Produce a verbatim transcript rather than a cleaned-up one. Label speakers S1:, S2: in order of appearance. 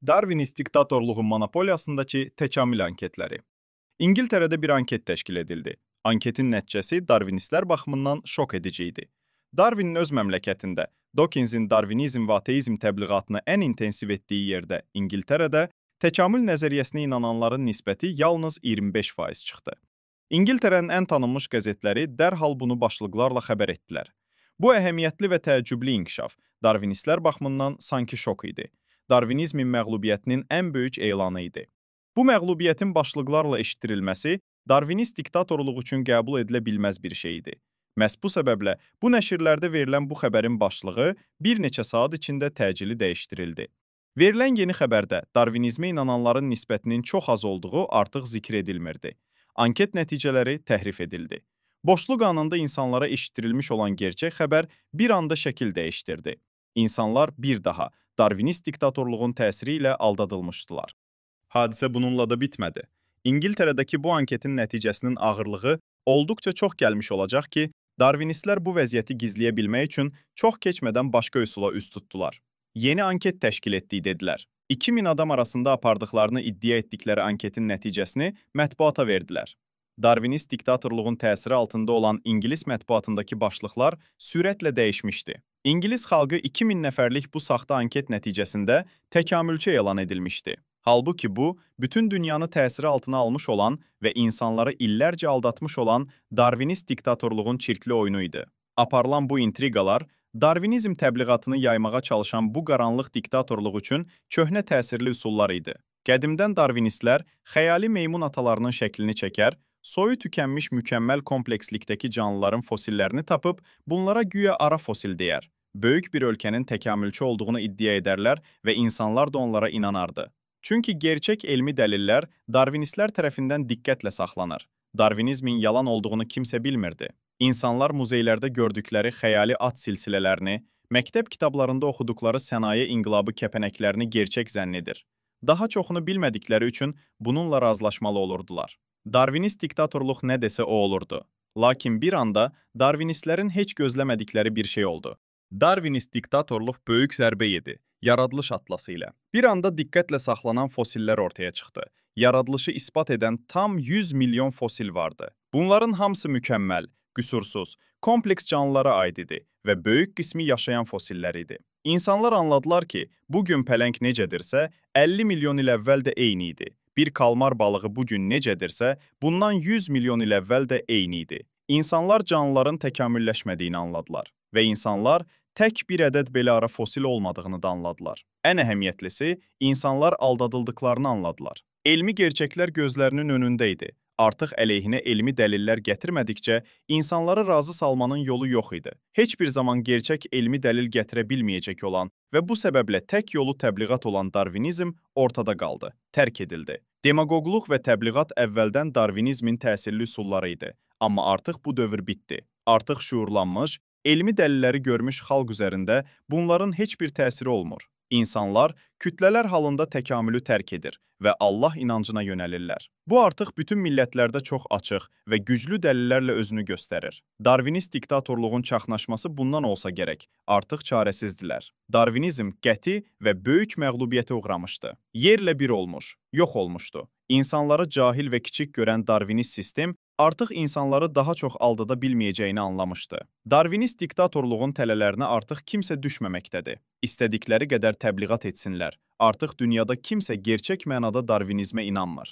S1: Darwinist diktatorluğun monopoliyasındakı təkamül anketləri. İngiltərədə bir anket təşkil edildi. Anketin nəticəsi Darwinistlər baxımından şok edici idi. Darwinin öz məmləkətində, Dawkinsin Darwinizm və ateizm təbliğatını ən intensiv etdiyi yerdə, İngiltərədə, təkamül nəzəriyyəsinə inananların nisbəti yalnız iyirmi beş faiz çıxdı. İngiltərənin ən tanınmış qəzetləri dərhal bunu başlıqlarla xəbər etdilər. Bu əhəmiyyətli və təəccüblü inkişaf Darwinistlər baxımından sanki şok idi. Darwinizmin məğlubiyyətinin ən böyük elanı idi. Bu məğlubiyyətin başlıqlarla eşitdirilməsi Darwinist diktatorluq üçün qəbul edilə bilməz bir şey idi. Məhz bu səbəblə bu nəşrlərdə verilən bu xəbərin başlığı bir neçə saat içində təcili dəyişdirildi. Verilən yeni xəbərdə Darwinizmə inananların nisbətinin çox az olduğu artıq zikr edilmirdi. Anket nəticələri təhrif edildi. Boşluq anında insanlara eşitdirilmiş olan gerçək xəbər bir anda şəkil dəyişdirdi. İnsanlar bir daha Darwinist diktatorluğun təsiri ilə aldadılmışdılar. Hadisə bununla da bitmədi. İngiltərədəki bu anketin nəticəsinin ağırlığı olduqca çox gəlmiş olacaq ki, Darwinistlər bu vəziyyəti gizləyə bilmək üçün çox keçmədən başqa üsula üz tutdular. Yeni anket təşkil etdik dedilər. iki min adam arasında apardıqlarını iddia etdikləri anketin nəticəsini mətbuata verdilər. Darwinist diktatorluğun təsiri altında olan İngilis mətbuatındakı başlıqlar sürətlə dəyişmişdi. İngilis xalqı iki min nəfərlik bu saxta anket nəticəsində təkamülçü elan edilmişdi. Halbuki bu, bütün dünyanı təsiri altına almış olan və insanları illərcə aldatmış olan Darwinist diktatorluğun çirkli oyunu idi. Aparılan bu intriqalar, Darwinizm təbliğatını yaymağa çalışan bu qaranlıq diktatorluq üçün köhnə təsirli üsullar idi. Qədimdən Darwinistlər xəyali meymun atalarının şəklini çəkər, soyu tükənmiş mükəmməl komplekslikdəki canlıların fosillərini tapıb, bunlara güya ara fosil deyər. Böyük bir ölkənin təkamülçü olduğunu iddia edərlər və insanlar da onlara inanardı. Çünki gerçək elmi dəlillər Darwinistlər tərəfindən diqqətlə saxlanır. Darwinizmin yalan olduğunu kimsə bilmirdi. İnsanlar muzeylərdə gördükləri xəyali at silsilələrini, məktəb kitablarında oxuduqları sənaye inqilabı kəpənəklərini gerçək zənn edir. Daha çoxunu bilmədikləri üçün bununla razılaşmalı olurdular. Darwinist diktatorluq nə desə o olurdu. Lakin bir anda Darwinistlərin heç gözləmədikləri bir şey oldu. Darwinist diktatorluq böyük zərbə yedi, yaradılış atlası ilə. Bir anda diqqətlə saxlanan fosillər ortaya çıxdı. Yaradılışı isbat edən tam yüz milyon fosil vardı. Bunların hamısı mükəmməl, qüsursuz, kompleks canlılara aid idi və böyük qismi yaşayan fosillər idi. İnsanlar anladılar ki, bugün pələng necədirsə, əlli milyon il əvvəl də eyni idi. Bir kalmar balığı bugün necədirsə, bundan yüz milyon il əvvəl də eyni idi. İnsanlar canlıların təkamülləşmədiyini anladılar və insanlar tək bir ədəd belə ara fosil olmadığını da anladılar. Ən əhəmiyyətlisi, insanlar aldadıldıqlarını anladılar. Elmi gerçəklər gözlərinin önündə idi. Artıq əleyhinə elmi dəlillər gətirmədikcə, insanları razı salmanın yolu yox idi. Heç bir zaman gerçək elmi dəlil gətirə bilməyəcək olan və bu səbəblə tək yolu təbliğat olan Darwinizm ortada qaldı, tərk edildi. Demagogluq və təbliğat əvvəldən Darwinizmin təsirli üsulları idi. Amma artıq bu dövr bitdi. Artıq şuurlanmış, elmi dəlilləri görmüş xalq üzərində bunların heç bir təsiri olmur. İnsanlar kütlələr halında təkamülü tərk edir və Allah inancına yönəlirlər. Bu artıq bütün millətlərdə çox açıq və güclü dəlillərlə özünü göstərir. Darwinist diktatorluğun çaxnaşması bundan olsa gərək, artıq çarəsizdilər. Darwinizm qəti və böyük məğlubiyyətə uğramışdı. Yerlə bir olmuş, yox olmuşdu. İnsanları cahil və kiçik görən Darwinist sistem artıq insanları daha çox aldada bilməyəcəyini anlamışdı. Darwinist diktatorluğun tələlərinə artıq kimsə düşməməkdədir. İstədikləri qədər təbliğat etsinlər. Artıq dünyada kimsə gerçək mənada Darwinizmə inanmır.